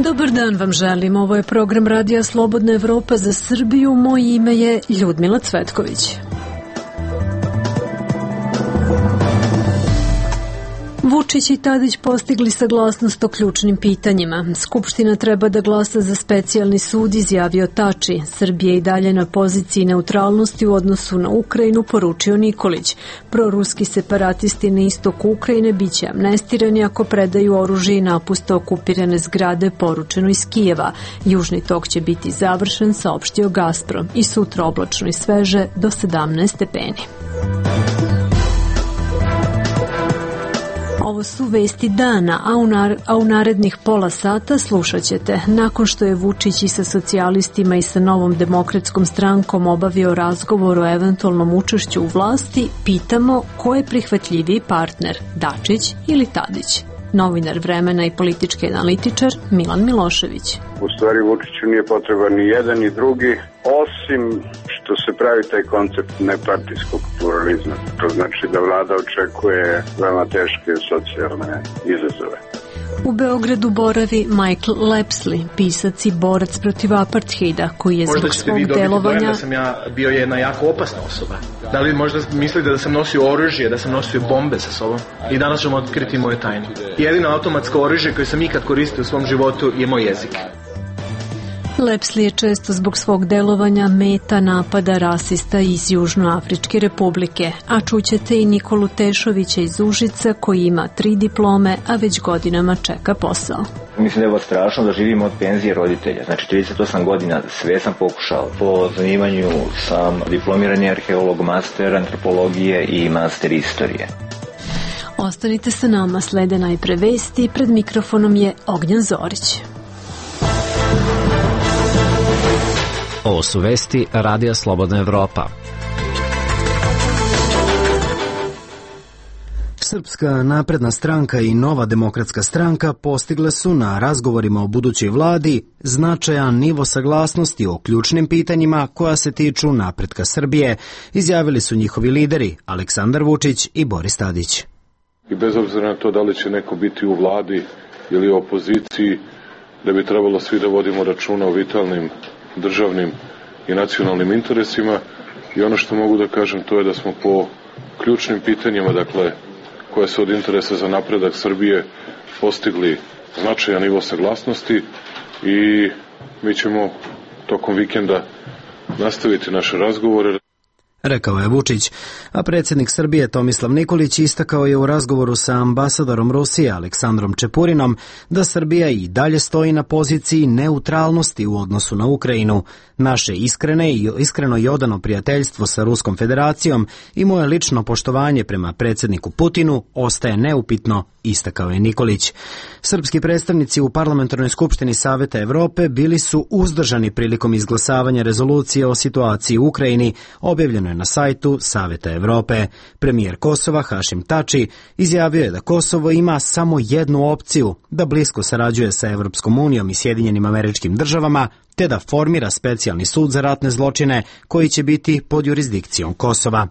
Dobar dan vam želim. Ovo je program Radija Slobodna Evropa za Srbiju. Moje ime je Ljudmila Cvetković. Vučić i Tadić postigli saglasnost o ključnim pitanjima. Skupština treba da glasa za specijalni sud, izjavio Tači. Srbija je i dalje na poziciji neutralnosti u odnosu na Ukrajinu, poručio Nikolić. Proruski separatisti na istoku Ukrajine biće amnestirani ako predaju oružje i napuste okupirane zgrade, poručeno iz Kijeva. Južni tok će biti završen, saopštio Gazprom. I sutra oblačno i sveže do 17 stepeni. Ovo su vesti dana, a u narednih pola sata slušat ćete. Nakon što je Vučić i sa socijalistima i sa Novom demokratskom strankom obavio razgovor o eventualnom učešću u vlasti, pitamo ko je prihvatljiviji partner, Dačić ili Tadić. Novinar Vremena i politički analitičar Milan Milošević. U stvari Vučiću nije potreban ni jedan ni drugi, osim što se pravi taj koncept nepartijskog pluralizma. To znači da vlada očekuje veoma teške socijalne izazove. U Beogradu boravi Michael Lepsley, pisac i borac protiv apartheida, koji je zbog svog delovanja... Možda ćete vi dobiti dojam da sam ja bio jedna jako opasna osoba. Da li možda mislite da sam nosio oružje, da sam nosio bombe sa sobom? I danas ćemo otkriti moju tajnu. Jedino automatsko oružje koje sam ikad koristio u svom životu je moj jezik. Lepsley je često zbog svog delovanja meta napada rasista iz Južnoafričke republike, a čućete i Nikolu Tešovića iz Užica koji ima 3 diplome, a već godinama čeka posao. Mislim da je ovo strašno da živim od penzije roditelja. Znači 38 godina sve sam pokušao. Po zanimanju sam diplomirani arheolog, master antropologije i master istorije. Ostanite sa nama, slede najpre vesti, pred mikrofonom je Ognjen Zorić. Ovo su vesti Radija Slobodna Evropa. Srpska napredna stranka i Nova demokratska stranka postigle su na razgovorima o budućoj vladi značajan nivo saglasnosti o ključnim pitanjima koja se tiču napretka Srbije, izjavili su njihovi lideri Aleksandar Vučić i Boris Tadić. I bez obzira na to da li će neko biti u vladi ili u opoziciji, da bi trebalo svi da vodimo računa o vitalnim državnim i nacionalnim interesima i ono što mogu da kažem to je da smo po ključnim pitanjima, dakle, koje su od interesa za napredak Srbije postigli značajan nivo saglasnosti i mi ćemo tokom vikenda nastaviti naše razgovore. Rekao je Vučić, a predsjednik Srbije Tomislav Nikolić istakao je u razgovoru sa ambasadorom Rusije Aleksandrom Čepurinom da Srbija i dalje stoji na poziciji neutralnosti u odnosu na Ukrajinu. Naše iskreno i odano prijateljstvo sa Ruskom federacijom i moje lično poštovanje prema predsjedniku Putinu ostaje neupitno, istakao je Nikolić. Srpski predstavnici u Parlamentarnoj skupštini Saveta Evrope bili su uzdržani prilikom izglasavanja rezolucije o situaciji u Ukrajini, objavljeno je na sajtu Saveta Evrope. Premijer Kosova Hašim Tači izjavio je da Kosovo ima samo jednu opciju, da blisko sarađuje sa Evropskom unijom i Sjedinjenim Američkim Državama, te da formira specijalni sud za ratne zločine koji će biti pod jurisdikcijom Kosova.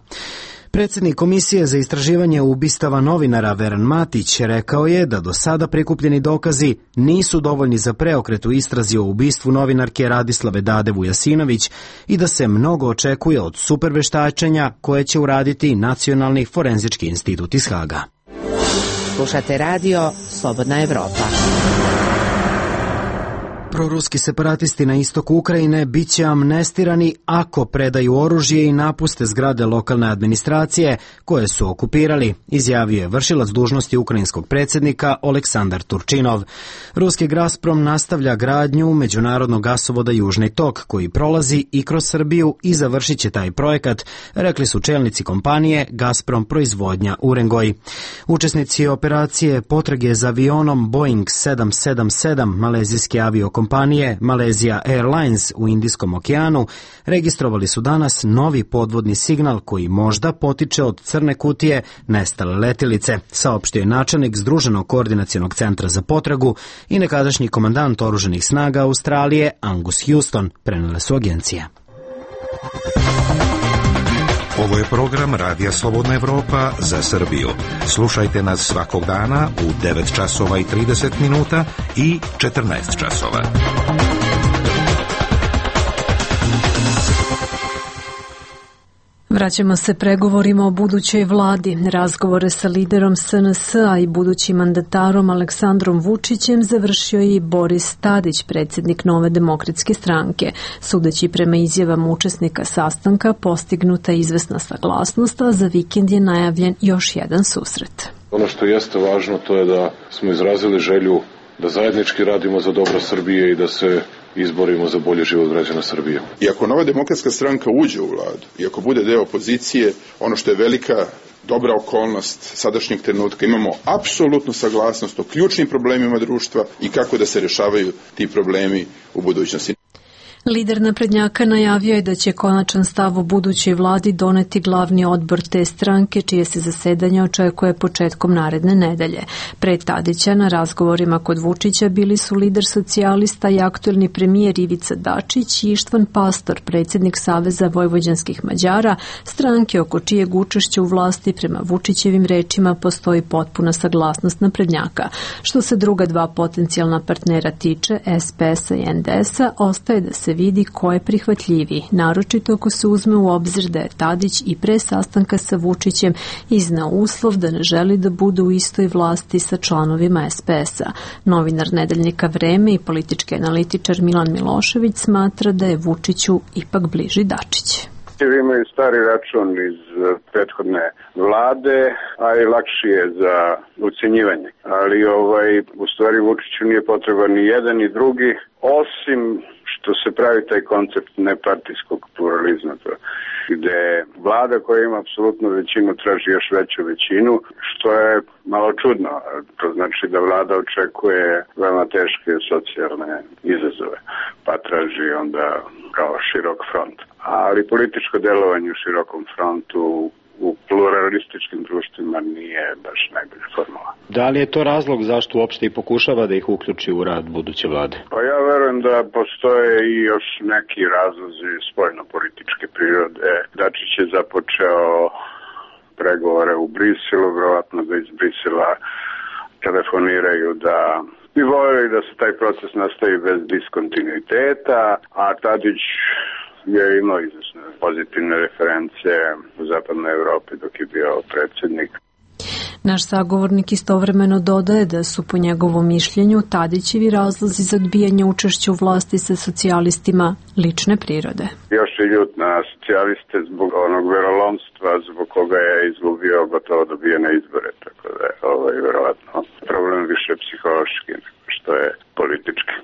Predsjednik Komisije za istraživanje ubistava novinara Veran Matić rekao je da do sada prikupljeni dokazi nisu dovoljni za preokret u istrazi o ubistvu novinarke Radislave Dade Vujasinović i da se mnogo očekuje od superveštačenja koje će uraditi Nacionalni forenzički institut iz Haga. Slušate radio Slobodna Evropa. Proruski separatisti na istoku Ukrajine biće amnestirani ako predaju oružje i napuste zgrade lokalne administracije koje su okupirali, izjavio je vršilac dužnosti ukrajinskog predsjednika Oleksandar Turčinov. Ruski Gazprom nastavlja gradnju međunarodnog gasovoda Južni tok koji prolazi i kroz Srbiju i završit će taj projekat, rekli su čelnici kompanije Gazprom proizvodnja Urengoj. Učesnici operacije potrage za avionom Boeing 777 malezijske aviokompanije Malaysia Airlines u Indijskom okeanu registrovali su danas novi podvodni signal koji možda potiče od crne kutije nestale letilice, saopštio je načelnik Združenog koordinacionog centra za potragu i nekadašnji komandant oružanih snaga Australije Angus Houston, prenele su agencije. Ovo je program Radija Slobodna Evropa za Srbiju. Slušajte nas svakog dana u 9 časova i 30 minuta i 14 časova. Vraćamo se pregovorima o budućoj vladi. Razgovore sa liderom SNS-a i budućim mandatarom Aleksandrom Vučićem završio je i Boris Tadić, predsjednik Nove demokratske stranke. Sudeći prema izjavama učesnika sastanka, postignuta je izvesna saglasnost, a za vikend je najavljen još jedan susret. Ono što jeste važno to je da smo izrazili želju da zajednički radimo za dobro Srbije i da se izborimo za bolji život građana Srbije. I ako Nova demokratska stranka uđe u vladu i ako bude deo opozicije, ono što je velika dobra okolnost sadašnjeg trenutka, imamo apsolutnu saglasnost o ključnim problemima društva i kako da se rešavaju ti problemi u budućnosti. Lider naprednjaka najavio je da će konačan stav o budućoj vladi doneti glavni odbor te stranke, čije se zasedanje očekuje početkom naredne nedelje. Pre Tadića na razgovorima kod Vučića bili su lider socijalista i aktuelni premijer Ivica Dačić i Ištvan Pastor, predsjednik Saveza vojvođanskih Mađara, stranke oko čijeg učešća u vlasti prema Vučićevim rečima postoji potpuna saglasnost naprednjaka. Što se druga dva potencijalna partnera tiče, SPS-a i NDS-a, ostaje da se vidi ko je prihvatljiviji, naročito ako se uzme u obzir da je Tadić i pre sastanka sa Vučićem izneo uslov da ne želi da bude u istoj vlasti sa članovima SPS-a. Novinar nedeljnika Vreme i politički analitičar Milan Milošević smatra da je Vučiću ipak bliži Dačić. Imaju stari račun iz prethodne vlade, a i lakši je za ucenjivanje. Ali u stvari Vučiću nije potreban ni jedan ni drugi, osim što se pravi taj koncept nepartijskog pluralizma, gde vlada koja ima apsolutnu većinu traži još veću većinu, što je malo čudno. To znači da vlada očekuje veoma teške socijalne izazove, pa traži onda kao širok front. Ali političko delovanje u širokom frontu u pluralističkim društvima nije baš najbolja formula. Da li je to razlog zašto uopšte i pokušava da ih uključi u rad buduće vlade? Pa ja verujem da postoje i još neki razlozi spoljno-političke prirode. Dačić je započeo pregovore u Briselu, verovatno da iz Brisela telefoniraju da bi voljeli da se taj proces nastavi bez diskontinuiteta, a Tadić je imao izvesne pozitivne reference u zapadnoj Evropi dok je bio predsjednik. Naš sagovornik istovremeno dodaje da su po njegovom mišljenju Tadićevi razlozi za odbijanje učešća u vlasti sa socijalistima lične prirode. Još je ljut na socijaliste zbog onog verolomstva zbog koga je izgubio gotovo dobijene izbore, tako da je verovatno problem više psihološki što je politički.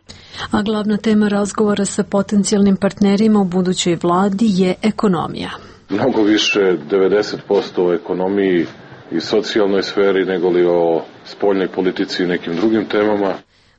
A glavna tema razgovora sa potencijalnim partnerima u budućoj vladi je ekonomija. Mnogo više 90% o ekonomiji i socijalnoj sferi nego li o spoljnoj politici i nekim drugim temama.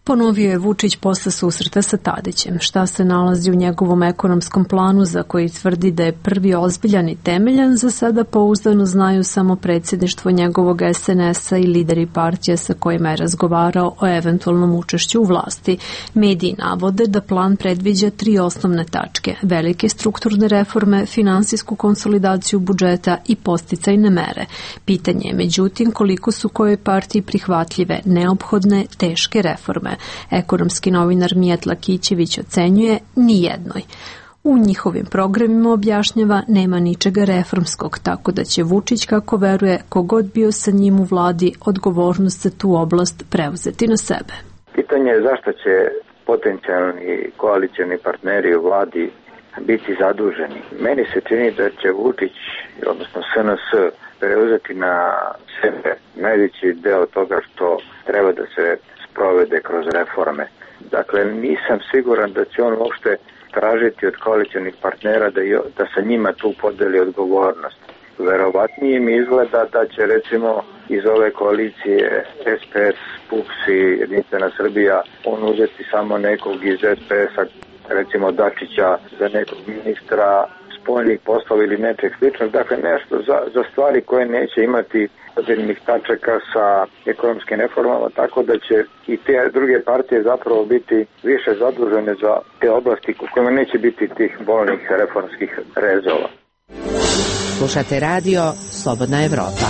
Ponovio je Vučić posle susreta sa Tadićem. Šta se nalazi u njegovom ekonomskom planu za koji tvrdi da je prvi ozbiljan i temeljan, za sada pouzdano znaju samo predsjedništvo njegovog SNS-a i lideri partija sa kojima je razgovarao o eventualnom učešću u vlasti. Mediji navode da plan predviđa 3 osnovne tačke: velike strukturne reforme, finansijsku konsolidaciju budžeta i podsticajne mere. Pitanje je međutim koliko su kojoj partiji prihvatljive, neophodne, teške reforme. Ekonomski novinar Mijat Lakićević ocenjuje nijednoj. U njihovim programima, objašnjava, nema ničega reformskog, tako da će Vučić, kako veruje, kogod bio sa njim u vladi, odgovornost za tu oblast preuzeti na sebe. Pitanje je zašto će potencijalni koalicioni partneri u vladi biti zaduženi. Meni se čini da će Vučić, odnosno SNS, preuzeti na sebe najveći deo toga što treba da se provede kroz reforme. Dakle, nisam siguran da će on uopšte tražiti od koalicionih partnera da sa njima tu podeli odgovornost. Verovatnije mi izgleda da će recimo iz ove koalicije SPS, PUPS i Jedinstvena Srbija on uzeti samo nekog iz SPS-a, recimo Dačića, za nekog ministra spoljnih poslova ili nečeg sličnog. Dakle, nešto za stvari koje neće imati određenih tačaka sa ekonomskim reformama, tako da će i te druge partije zapravo biti više zadužene za te oblasti u kojima neće biti tih bolnih reformskih rezova. Slušate radio Slobodna Evropa.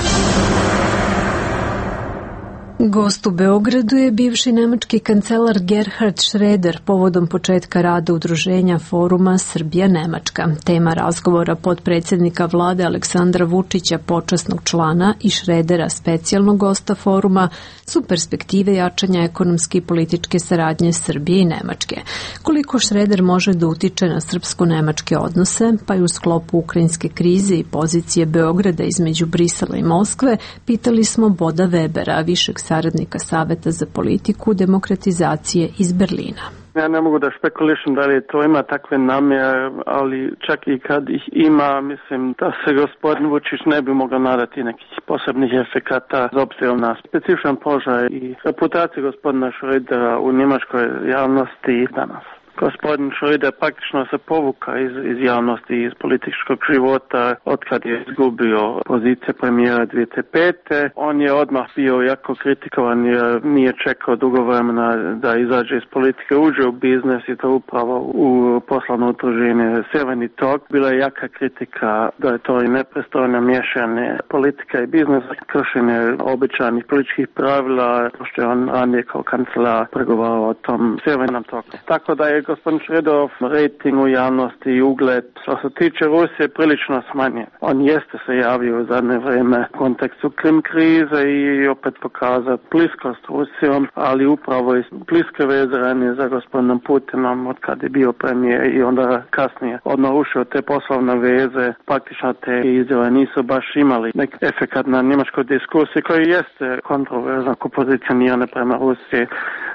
Gost u Beogradu je bivši nemački kancelar Gerhard Schröder povodom početka rada udruženja foruma Srbija-Nemačka. Tema razgovora potpredsjednika vlade Aleksandra Vučića, počasnog člana, i Schrödera, specijalnog gosta foruma, su perspektive jačanja ekonomske i političke saradnje Srbije i Nemačke. Koliko Schröder može da utiče na srpsko-nemačke odnose, pa i u sklopu ukrajinske krize i pozicije Beograda između Brisela i Moskve, pitali smo Boda Webera, višeg saradnika Saveta za politiku demokratizacije iz Berlina. Ja ne mogu da špekulišem da li to ima takve namjere, ali čak i kad ih ima, mislim da se gospodin Vučić ne bi mogao nadati nekih posebnih efekata s obzirom na specifičan položaj i reputaciju gospodina Schrödera u njemačkoj javnosti danas. Gospodin Schröder praktično se povuka iz javnosti, iz političkog života otkad je izgubio pozicije premijera 2005. On je odmah bio jako kritikovan jer nije čekao dugo vremena da izađe iz politike, uđe u biznes i to upravo u poslovno udruženje Sjeverni tok. Bila je jaka kritika da je to i nepristojno miješanje politika i biznesa, kršenje običajnih političkih pravila, što je on ranije kao kancelar pregovarao o tom Sjevernom toku. Tako da je gospodin Schröderov rating u javnosti i ugled što se tiče Rusije prilično smanjen. On jeste se javio u zadnje vrijeme u kontekstu Krim krize i opet pokazao bliskost s Rusijom, ali upravo i bliske veze ranije za gospodinom Putinom od kad je bio premijer i onda kasnije on narušio te poslovne veze. Praktično te izjave nisu baš imali neki efekt na njemačkoj diskusiji koji jeste kontroverzna, ko pozicionirane prema Rusiji,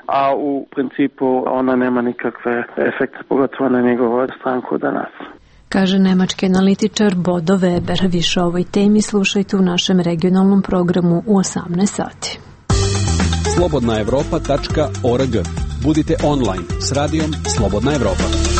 a u principu ona nema nikakve efekte, pogotovo na njegovu stranku danas. Kaže nemački analitičar Bodo Weber. Više o ovoj temi slušajte u našem regionalnom programu u 18 sati. slobodnaevropa.org. Budite online s radijom Slobodna Evropa.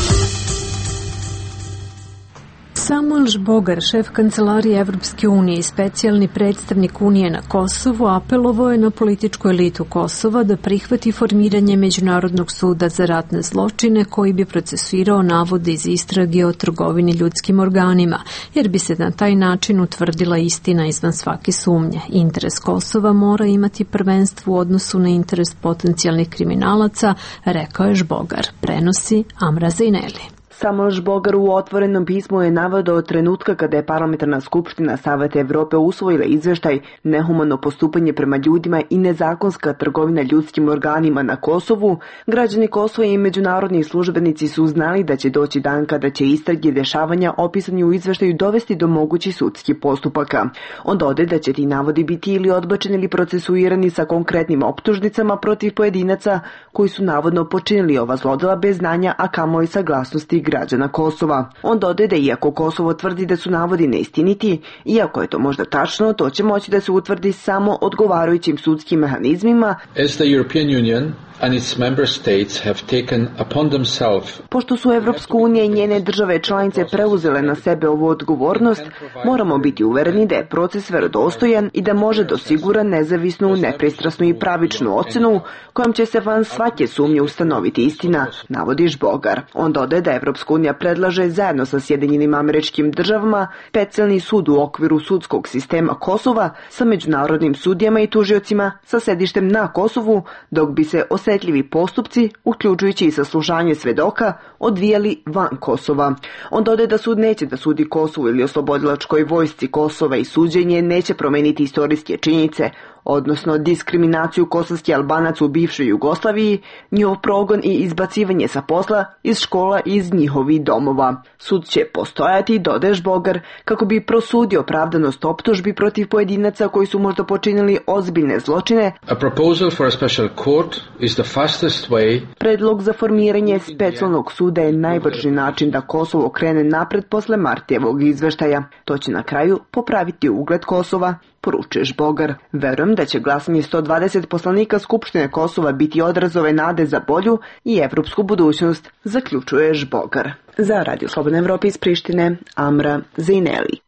Samuel Žbogar, šef kancelarije Evropske unije i specijalni predstavnik Unije na Kosovu, apelovao je na političku elitu Kosova da prihvati formiranje Međunarodnog suda za ratne zločine koji bi procesuirao navode iz istrage o trgovini ljudskim organima, jer bi se na taj način utvrdila istina izvan svake sumnje. Interes Kosova mora imati prvenstvo u odnosu na interes potencijalnih kriminalaca, rekao je Žbogar. Prenosi Amra Zejneli. Samuel Žbogar u otvorenom pismu je naveo od trenutka kada je Parlamentarna skupština Saveta Evrope usvojila izveštaj nehumano postupanje prema ljudima i nezakonska trgovina ljudskim organima na Kosovu, građani Kosova i međunarodni službenici su znali da će doći dan kada će istrage i dešavanja opisani u izveštaju dovesti do mogućih sudskih postupaka. On dodaje da će ti navodi biti ili odbačeni ili procesuirani sa konkretnim optužnicama protiv pojedinaca koji su navodno počinili ova zlodela bez znanja, a kamoli saglasnosti građana Kosova. On dodaje da iako Kosovo tvrdi da su navodi neistiniti, iako je to možda tačno, to će moći da se utvrdi samo odgovarajućim sudskim mehanizmima. As the European Union and its member states have taken upon themselves. Pošto su Evropska unija i njene države članice preuzele na sebe ovu odgovornost, moramo biti uvereni da je proces verodostojan i da može da osigura nezavisnu, nepristrasnu i pravičnu ocenu kojom će se van svake sumnje ustanoviti istina, navodi Žbogar. On dodaje da Evropska unija predlaže zajedno sa Sjedinjenim Američkim Državama specijalni sud u okviru sudskog sistema Kosova sa međunarodnim sudijama i tužiocima sa sedištem na Kosovu, dok bi se osetljivi postupci, uključujući i saslušanje svedoka, odvijali van Kosova. On dodaje da sud neće da sudi Kosovu ili oslobodilačkoj vojsci Kosova i suđenje neće promeniti istorijske činjenice, odnosno diskriminaciju kosovskih Albanaca u bivšoj Jugoslaviji, njihov progon i izbacivanje sa posla, iz škola i iz njihovih domova. Sud će postojati, dodaje Žbogar, kako bi prosudio opravdanost optužbi protiv pojedinaca koji su možda počinili ozbiljne zločine. A proposal for a special court is the fastest way. Predlog za formiranje specijalnog suda je najbrži način da Kosovo krene napred posle Martijevog izveštaja. To će na kraju popraviti ugled Kosova, poručuje Žbogar. Verujem da će glasanje 120 poslanika Skupštine Kosova biti odraz ove nade za bolju i evropsku budućnost, zaključuje Žbogar. Za Radio Slobodna Evropa iz Prištine, Amra Zejneli.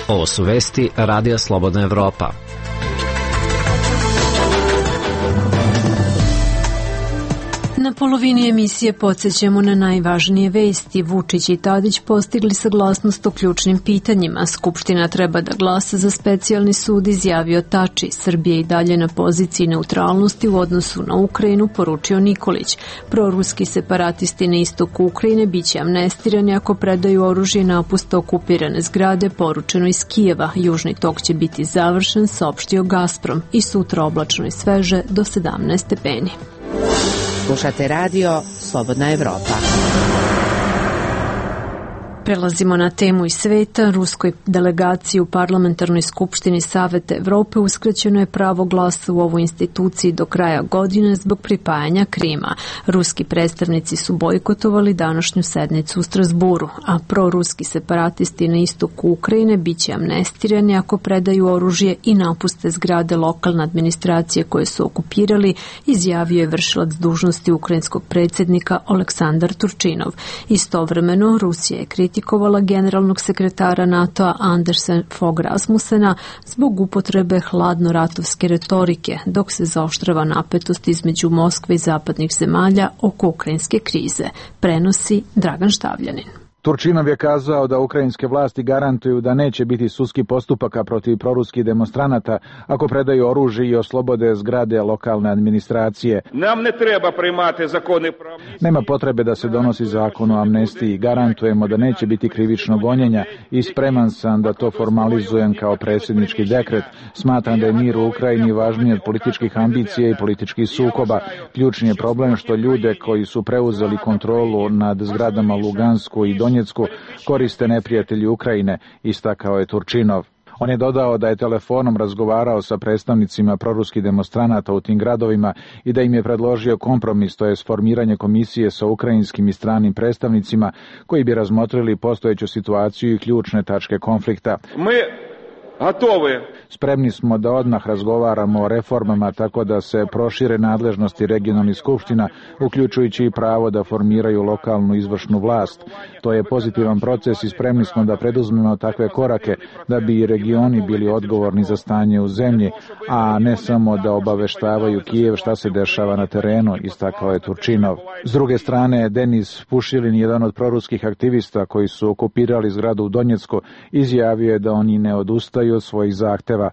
Ovo su vesti Radija Slobodna Evropa. Na polovini emisije podsjećamo na najvažnije vesti. Vučić i Tadić postigli saglasnost o ključnim pitanjima. Skupština treba da glasa za specijalni sud, izjavio Tači. Srbija i dalje na poziciji neutralnosti u odnosu na Ukrajinu, poručio Nikolić. Proruski separatisti na istoku Ukrajine biće amnestirani ako predaju oružje i napuste okupirane zgrade, poručeno iz Kijeva. Južni tok će biti završen, saopštio Gazprom. I sutra oblačno i sveže do 17 stepeni. Slušate radio Slobodna Evropa. Prelazimo na temu iz sveta. Ruskoj delegaciji u Parlamentarnoj skupštini Saveta Evrope uskraćeno je pravo glasa u ovoj instituciji do kraja godine zbog pripajanja Krima. Ruski predstavnici su bojkotovali današnju sednicu u Strasburu, a proruski separatisti na istoku Ukrajine biće amnestirani ako predaju oružje i napuste zgrade lokalne administracije koje su okupirali, izjavio je vršilac dužnosti ukrajinskog predsjednika Aleksandar Turčinov. Istovremeno, Rusija je kritikovala generalnog sekretara NATO-a Andersa Fogh Rasmussena zbog upotrebe hladno-ratovske retorike, dok se zaoštrava napetost između Moskve i zapadnih zemalja oko ukrajinske krize, prenosi Dragan Štavljanin. Turčinov je kazao da ukrajinske vlasti garantuju da neće biti sudskih postupaka protiv proruskih demonstranata ako predaju oružje i oslobode zgrade lokalne administracije. Nema potrebe da se donosi zakon o amnestiji. Garantujemo da neće biti krivičnog gonjenja i spreman sam da to formalizujem kao predsjednički dekret. Smatram da je mir u Ukrajini važniji od političkih ambicija i političkih sukoba. Ključni je problem što ljude koji su preuzeli kontrolu nad zgradama Lugansku i Donjecku koriste neprijatelji Ukrajine, istakao je Turčinov. On je dodao da je telefonom razgovarao sa predstavnicima proruskih demonstranata u tim gradovima i da im je predložio kompromis, to je formiranje komisije sa ukrajinskim i stranim predstavnicima koji bi razmotrili postojeću situaciju i ključne tačke konflikta. Spremni smo da odmah razgovaramo o reformama tako da se prošire nadležnosti regionalnih skupština, uključujući i pravo da formiraju lokalnu izvršnu vlast. To je pozitivan proces i spremni smo da preduzmemo takve korake da bi i regioni bili odgovorni za stanje u zemlji, a ne samo da obaveštavaju Kijev šta se dešava na terenu, istakao je Turčinov. S druge strane, Denis Pušilin, jedan od proruskih aktivista koji su okupirali zgradu u Donjecku, izjavio je da oni ne odustaju od svojih zahteva.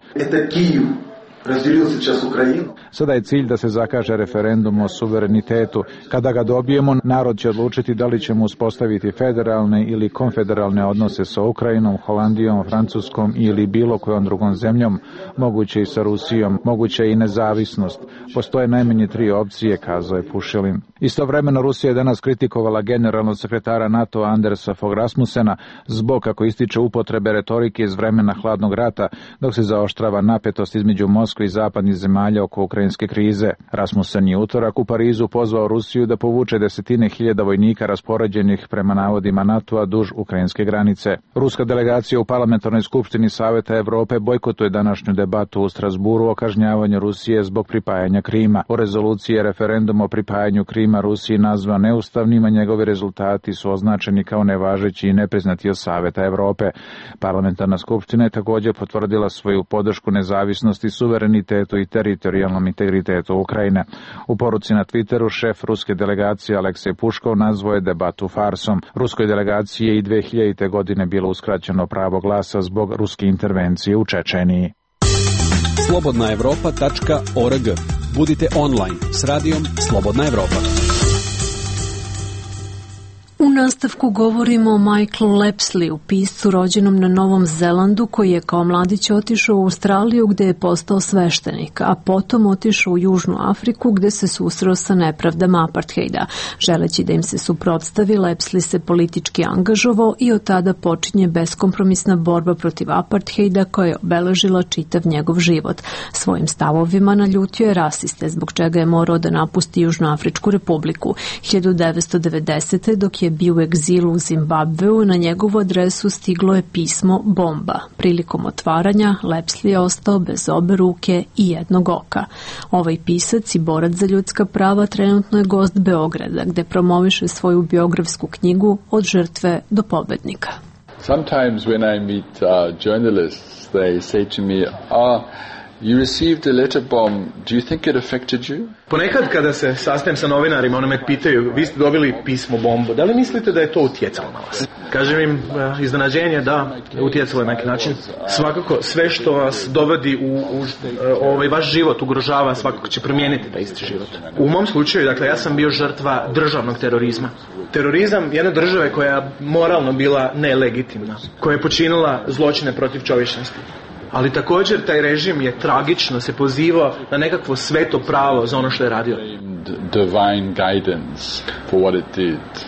Sada je cilj da se zakaže referendum o suverenitetu. Kada ga dobijemo, narod će odlučiti da li ćemo uspostaviti federalne ili konfederalne odnose sa Ukrajinom, Holandijom, Francuskom ili bilo kojom drugom zemljom, moguće i sa Rusijom, moguće i nezavisnost. Postoje najmanje 3 opcije, kazao je Pušilin. Istovremeno Rusija je danas kritikovala generalnog sekretara NATO Andersa Fogh Rasmussena zbog, kako ističe, upotrebe retorike iz vremena hladnog rata, dok se zaoštrava napetost između Moskve i zapadnih zemalja oko ukrajinske krize. Rasmussen je utorak u Parizu pozvao Rusiju da povuče 10.000 vojnika raspoređenih prema navodima NATO-a duž ukrajinske granice. Ruska delegacija u Parlamentarnoj skupštini Saveta Evrope bojkotuje današnju debatu u Strasburu o kažnjavanju Rusije zbog pripajanja Krima. U rezoluciji je referendum o pripajanju Krima Rusiji nazvan neustavnim, a njegovi rezultati su označeni kao nevažeći i nepriznati od Saveta Evrope. Parlamentarna skupština je također potvrdila svoju podršku nezavisnosti, suverenitetu i teritorijalnom integritetu Ukrajine. U poruci na Twitteru šef ruske delegacije Aleksej Puškov nazvao je debatu farsom. Ruskoj delegaciji je i 2000. godine bilo uskraćeno pravo glasa zbog ruske intervencije u Čečeniji. slobodnaevropa.org. Budite online s radijom Slobodna Evropa. U nastavku govorimo o Michaelu Lepsleyu, piscu rođenom na Novom Zelandu, koji je kao mladić otišao u Australiju gde je postao sveštenik, a potom otišao u Južnu Afriku gde se susreo sa nepravdama apartheida. Želeći da im se suprotstavi, Lepsley se politički angažovao i od tada počinje beskompromisna borba protiv apartheida koja je obeležila čitav njegov život. Svojim stavovima naljutio je rasiste, zbog čega je morao da napusti Južnoafričku republiku. 1990. dok je bio u egzilu u Zimbabveu, na njegovu adresu stiglo je pismo bomba. Prilikom otvaranja, Lepsley je ostao bez obe ruke i jednog oka. Ovaj pisac i borac za ljudska prava trenutno je gost Beograda, gde promoviše svoju biografsku knjigu Od žrtve do pobednika. Sometimes when I meet journalists, they say to me, You received a letter bomb. Do you think it affected you? Ponekad kada se sastajem sa novinarima, oni me pitaju, vi ste dobili pismo bombu, da li mislite da je to utjecalo na vas? Kažem im, iznenađenje, da, utjecalo je na neki način. Svakako, sve što vas dovodi u vaš život ugrožava, svakako će promijeniti taj isti život. U mom slučaju, dakle, ja sam bio žrtva državnog terorizma. Terorizam jedne države koja je moralno bila nelegitimna, koja je počinila zločine protiv čovječnosti. Ali također taj režim je tragično se pozivao na nekakvo sveto pravo za ono što je radio. Divine guidance for what it did.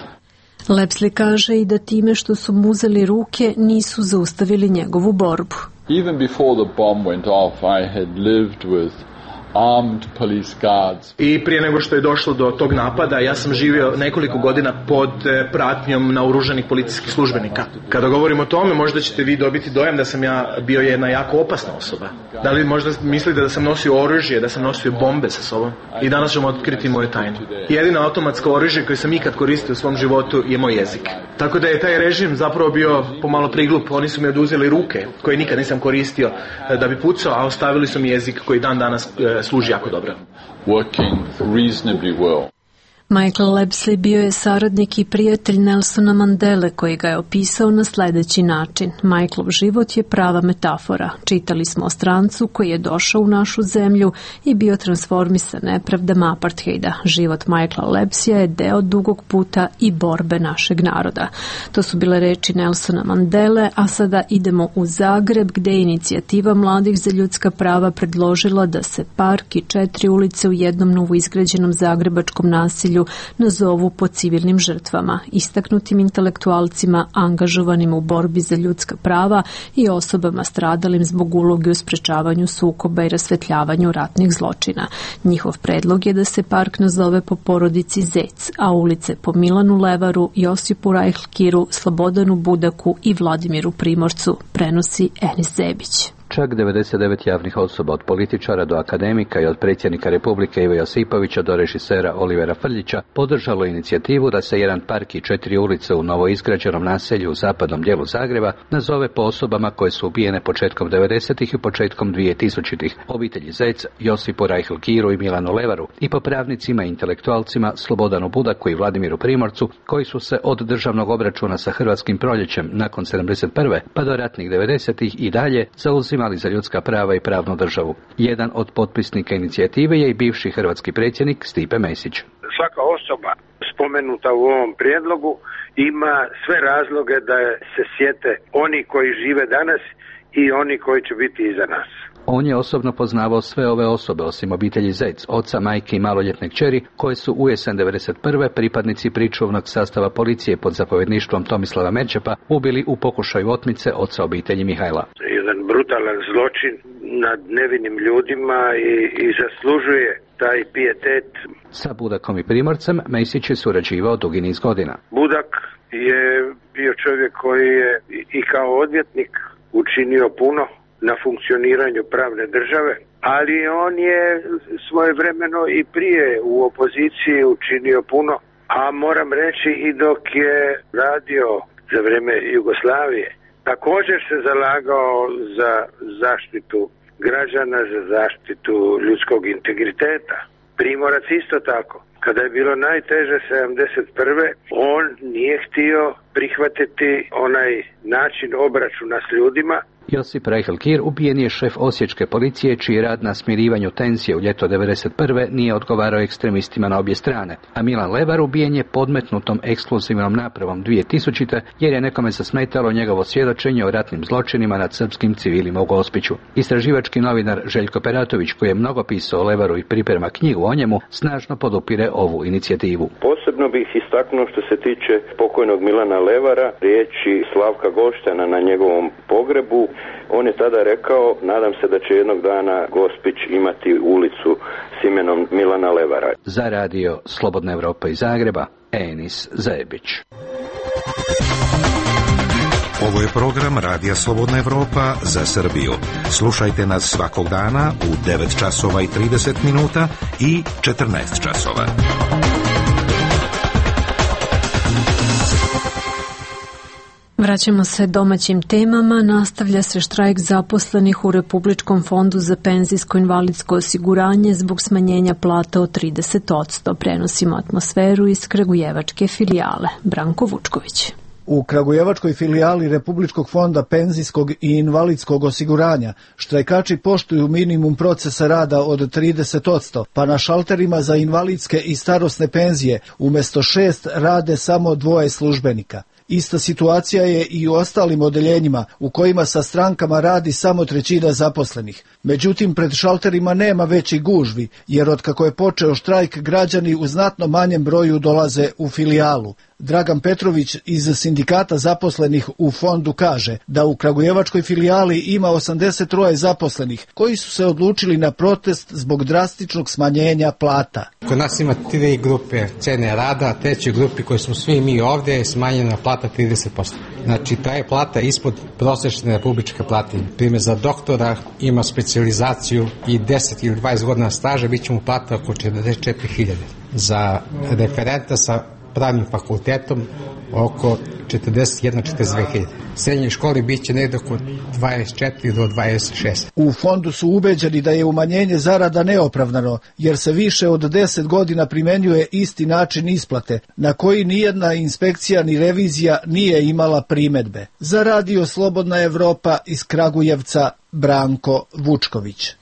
Lepsley kaže i da time što su mu uzeli ruke nisu zaustavili njegovu borbu. Even before the bomb went off, I had lived with armed police guards. I prije nego što je došlo do tog napada, ja sam živio nekoliko godina pod pratnjom naoružanih policijskih službenika. Kada govorim o tome, možda ćete vi dobiti dojam da sam ja bio jedna jako opasna osoba. Da li možda mislite da sam nosio oružje, da sam nosio bombe sa sobom? I danas ćemo otkriti moje tajne. Jedino automatsko oružje koje sam ikad koristio u svom životu je moj jezik. Tako da je taj režim zapravo bio pomalo priglup. Oni su mi oduzeli ruke, koje nikad nisam koristio da bi pucao, a ostavili su mi jezik koji dan danas služi jako dobro. Working reasonably well. Michael Lepsley bio je saradnik i prijatelj Nelsona Mandele koji ga je opisao na sljedeći način. Michaelov život je prava metafora. Čitali smo o strancu koji je došao u našu zemlju i bio transformisan nepravdama apartheida. Život Michaela Lepsleya je deo dugog puta i borbe našeg naroda. To su bile reči Nelsona Mandele, a sada idemo u Zagreb gdje je inicijativa Mladih za ljudska prava predložila da se park i 4 ulice u jednom novoizgrađenom zagrebačkom naselju nazovu po civilnim žrtvama, istaknutim intelektualcima angažovanim u borbi za ljudska prava i osobama stradalim zbog uloge u sprečavanju sukoba i rasvetljavanju ratnih zločina. Njihov predlog je da se park nazove po porodici Zec, a ulice po Milanu Levaru, Josipu Rajhlkiru, Slobodanu Budaku i Vladimiru Primorcu, prenosi Enis Zebić. Čak 99 javnih osoba, od političara do akademika i od predsjednika Republike Ive Josipovića do režisera Olivera Frljića, podržalo inicijativu da se jedan park i 4 ulice u novoizgrađenom naselju u zapadnom dijelu Zagreba nazove po osobama koje su ubijene početkom 90-ih i početkom 2000-ih, obitelji Zec, Josipu Rajhlkiru i Milanu Levaru, i po pravnicima i intelektualcima Slobodanu Budaku i Vladimiru Primorcu, koji su se od državnog obračuna sa Hrvatskim proljećem nakon 71. pa do ratnih 90-ih i dalje zauzimali za ljudska prava i pravnu državu. Jedan od potpisnika inicijative je i bivši hrvatski predsjednik Stipe Mesić. Svaka osoba spomenuta u ovom prijedlogu ima sve razloge da se sjete oni koji žive danas i oni koji će biti iza nas. On je osobno poznavao sve ove osobe, osim obitelji Zec, oca, majke i maloljetne kćeri, koje su u jesen 91. pripadnici pričuvnog sastava policije pod zapovjedništvom Tomislava Merčepa ubili u pokušaju otmice oca obitelji Mihajla. Jedan brutalan zločin nad nevinim ljudima i zaslužuje taj pijetet. Sa Budakom i Primorcem Mesić je surađivao dugi niz godina. Budak je bio čovjek koji je i kao odvjetnik učinio puno na funkcioniranju pravne države, ali on je svojevremeno i prije u opoziciji učinio puno, a moram reći i dok je radio za vrijeme Jugoslavije. Također se zalagao za zaštitu građana, za zaštitu ljudskog integriteta. Primorac isto tako. Kada je bilo najteže 71. on nije htio prihvatiti onaj način obračuna s ljudima. Josip Rajhlkir ubijen je šef osječke policije čiji rad na smirivanju tenzije u ljeto 91. nije odgovarao ekstremistima na obje strane, a Milan Levar ubijen je podmetnutom ekskluzivnom napravom 2000. jer je nekome zasmetalo njegovo svjedočenje o ratnim zločinima nad srpskim civilima u Gospiću. Istraživački novinar Željko Peratović, koji je mnogo pisao o Levaru i priprema knjigu o njemu, snažno podupire ovu inicijativu. Posebno bih istaknuo što se tiče pokojnog Milana Levara, riječi Slavka Goštana na njegovom pogrebu. On je tada rekao, nadam se da će jednog dana Gospić imati ulicu s imenom Milana Levara. Za radio Slobodna Evropa iz Zagreba, Enis Zebić. Ovo je program Radija Slobodna Evropa za Srbiju. Slušajte nas svakog dana u 9 časova i 30 minuta i 14 časova. Vraćamo se domaćim temama. Nastavlja se štrajk zaposlenih u Republičkom fondu za penzijsko-invalidsko osiguranje zbog smanjenja plata od 30%. Prenosimo atmosferu iz kragujevačke filijale. Branko Vučković. U kragujevačkoj filijali Republičkog fonda penzijskog i invalidskog osiguranja štrajkači poštuju minimum procesa rada od 30%, pa na šalterima za invalidske i starosne penzije umjesto 6 rade samo 2 službenika. Ista situacija je i u ostalim odeljenjima u kojima sa strankama radi samo 1/3 zaposlenih. Međutim, pred šalterima nema većih gužvi, jer otkako je počeo štrajk, građani u znatno manjem broju dolaze u filijalu. Dragan Petrović iz sindikata zaposlenih u fondu kaže da u kragujevačkoj filijali ima 83 zaposlenih koji su se odlučili na protest zbog drastičnog smanjenja plata. Kod nas ima 3 grupe cene rada, trećoj grupi koji smo svi mi ovdje je smanjena plata 30%. Znači, ta je plata ispod prosječne republičke plate. Primjer, za doktora ima specijalizaciju i 10 ili 20 godina staža, bit će mu plata oko 44.000. Za referenta sa pravnim fakultetom oko 41-42.000. U srednjoj školi bit će negdje oko 24 do 26. U fondu su ubeđeni da je umanjenje zarada neopravdano, jer se više od 10 godina primenjuje isti način isplate, na koji nijedna inspekcija ni revizija nije imala primedbe. Za Radio Slobodna Evropa iz Kragujevca, Branko Vučković.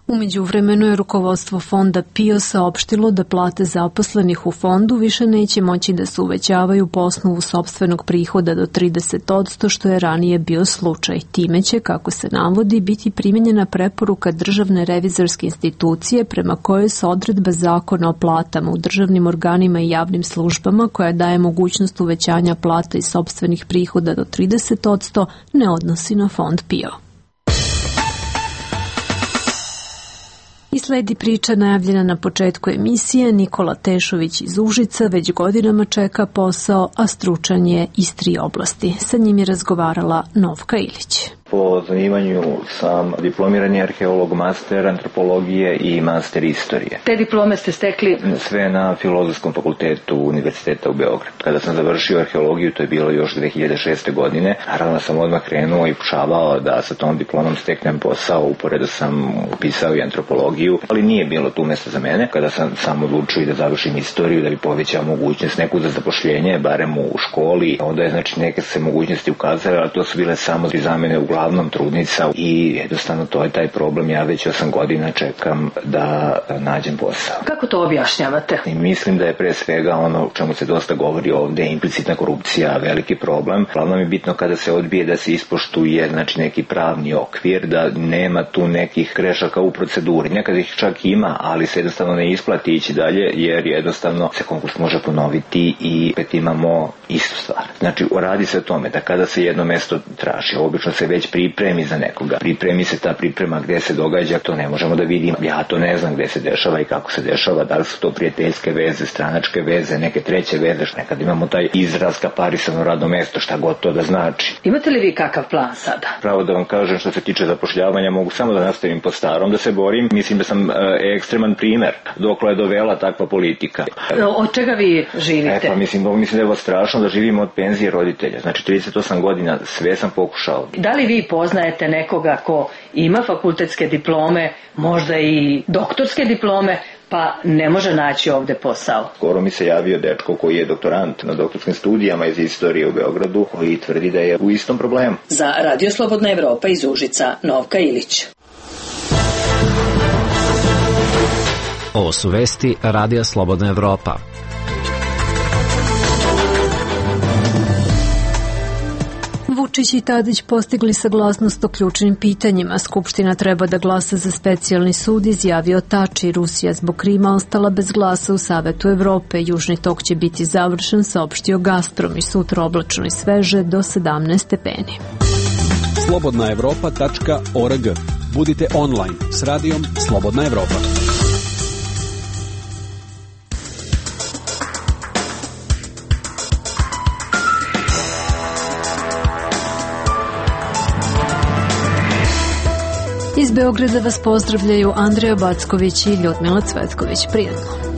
U međuvremenu je rukovodstvo fonda PIO saopštilo da plate zaposlenih u fondu više neće moći da se uvećavaju po osnovu sopstvenog prihoda do 30%, što je ranije bio slučaj. Time će, kako se navodi, biti primjenjena preporuka Državne revizorske institucije prema kojoj se odredba Zakona o platama u državnim organima i javnim službama, koja daje mogućnost uvećanja plata i sopstvenih prihoda do 30%, ne odnosi na fond PIO. I sledi priča najavljena na početku emisije. Nikola Tešović iz Užica već godinama čeka posao, a stručan je iz 3 oblasti. Sa njim je razgovarala Novka Ilić. Po zanimanju sam diplomirani arheolog, master antropologije i master istorije. Te diplome ste stekli? Sve na Filozofskom fakultetu Univerziteta u Beogradu. Kada sam završio arheologiju, to je bilo još 2006. godine, naravno sam odmah krenuo i pokušavao da sa tom diplomom steknem posao, uporedo sam upisao i antropologiju, ali nije bilo tu mjesta za mene. Kada sam odlučio da završim istoriju, da bi povećao mogućnost neku za zapošljenje, barem u školi, onda je znači neke se mogućnosti ukazale, ali to su bile samo za mene uglavnom trudnica i jednostavno to je taj problem. Ja već 8 godina čekam da nađem posao. Kako to objašnjavate? I mislim da je pre svega ono o čemu se dosta govori ovdje, implicitna korupcija, veliki problem. Glavno mi je bitno kada se odbije da se ispoštuje znači neki pravni okvir, da nema tu nekih grešaka u proceduri. Nekad ih čak ima, ali se jednostavno ne isplati ići dalje, jer jednostavno se konkurs može ponoviti i opet imamo istu stvar. Znači, radi se o tome da kada se jedno mesto traži, obično se već pripremi za nekoga. Pripremi se ta priprema gde se događa, to ne možemo da vidimo. Ja to ne znam gde se dešava i kako se dešava, da li su to prijateljske veze, stranačke veze, neke treće veze, nekad imamo taj izraz kaparisano radno mesto, šta god to da znači. Imate li vi kakav plan sada? Pravo da vam kažem, što se tiče zapošljavanja, mogu samo da nastavim po starom, da se borim. Mislim da sam ekstreman primer dokle je dovela takva politika. Od čega vi živite? Pa mislim da je ovo strašno da živimo od penzije roditelja. Znači 38 godina sve sam pokušao. Da li vi poznajete nekoga ko ima fakultetske diplome, možda i doktorske diplome, pa ne može naći ovdje posao? Skoro mi se javio dečko koji je doktorant na doktorskim studijama iz istorije u Beogradu, koji tvrdi da je u istom problemu. Za Radio Slobodna Evropa iz Užica, Novka Ilić. Ovo su vesti Radija Slobodna Evropa. Vučić i Tadić postigli saglasnost o ključnim pitanjima. Skupština treba da glasa za specijalni sud, izjavio Tači. Rusija zbog Krima ostala bez glasa u Savetu Evrope. Južni tok će biti završen, saopštio Gazprom, i sutra oblačno i sveže do 17 stepeni. slobodnaevropa.org. Budite online s radijom Slobodna Evropa. Iz Beograda vas pozdravljaju Andreja Backović i Ljudmila Cvetković. Prijatno.